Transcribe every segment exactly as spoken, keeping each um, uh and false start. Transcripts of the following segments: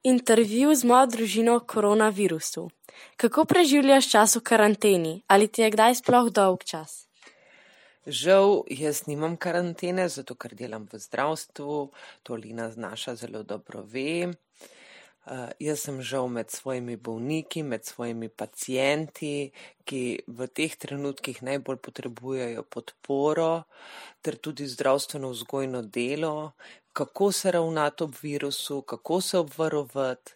intervju z mojo družino o koronavirusu. Kako preživljaš čas v karanteni? Ali ti je kdaj sploh dolg čas? Žal, jaz nimam karantene, zato ker delam v zdravstvu, to Lina znaša zelo dobro ve. Uh, jaz sem žal med svojimi bolniki, med svojimi pacienti, ki v teh trenutkih najbolj potrebujejo podporo, ter tudi zdravstveno vzgojno delo, kako se ravnati ob virusu, kako se obvarovati.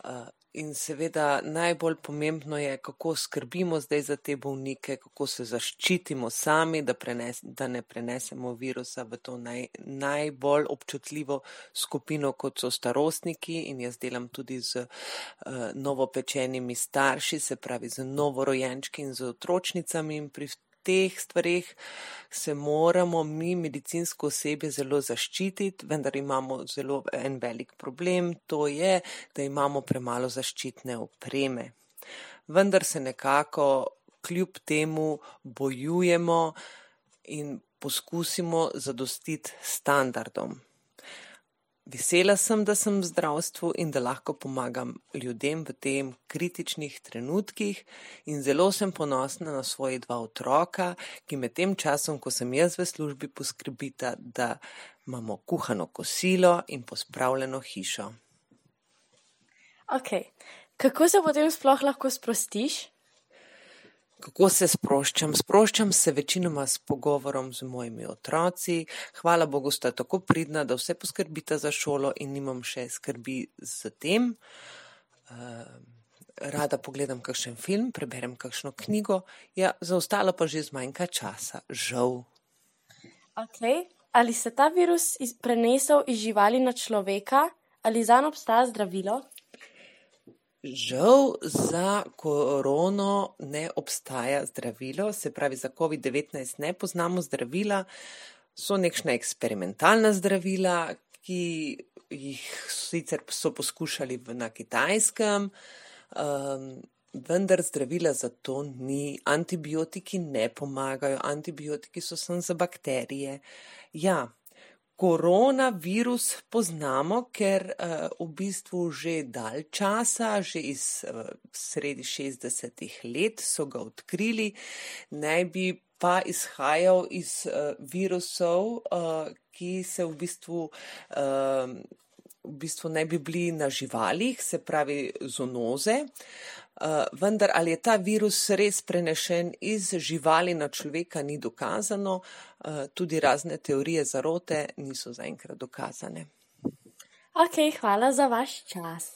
Uh, in seveda najbolj pomembno je, kako skrbimo zdaj za te bolnike, kako se zaščitimo sami, da, prenes, da ne prenesemo virusa v to naj, najbolj občutljivo skupino, kot so starostniki, in jaz delam tudi z uh, novopečenimi starši, se pravi z novorojenčki in z otročnicami, in pri teh stvareh se moramo mi, medicinsko osebje, zelo zaščititi, vendar imamo zelo en velik problem, to je, da imamo premalo zaščitne opreme. Vendar se nekako kljub temu bojujemo in poskusimo zadostiti standardom. Vesela sem, da sem v zdravstvu in da lahko pomagam ljudem v tem kritičnih trenutkih, in zelo sem ponosna na svoje dva otroka, ki med tem časom, ko sem jaz v službi, poskrbita, da imamo kuhano kosilo in pospravljeno hišo. Ok, kako se potem sploh lahko sprostiš? Kako se sproščam? Sproščam se večinoma s pogovorom z mojimi otroci. Hvala Bogu, sta tako pridna, da vse poskrbita za šolo in nimam še skrbi z tem. Rada pogledam kakšen film, preberem kakšno knjigo, ja, za ostalo pa že zmanjka časa, žal. Ok, ali se ta virus prenesel iz živali na človeka, ali zanj obstaja zdravilo? Žal za korono ne obstaja zdravilo, se pravi za covid devetnajst ne poznamo zdravila, so nekšna eksperimentalna zdravila, ki jih sicer so poskušali na Kitajskem, um, vendar zdravila za to ni, antibiotiki ne pomagajo, antibiotiki so samo za bakterije. Ja, koronavirus poznamo, ker uh, v bistvu že dalj časa, že iz uh, sredi šestdesetih let so ga odkrili, naj bi pa izhajal iz uh, virusov, uh, ki se v bistvu, uh, v bistvu naj bi bili na živalih, se pravi zoonoze. Uh, vendar ali je ta virus res prenešen iz živali na človeka, ni dokazano, uh, tudi razne teorije zarote niso zaenkrat dokazane. Ok, hvala za vaš čas.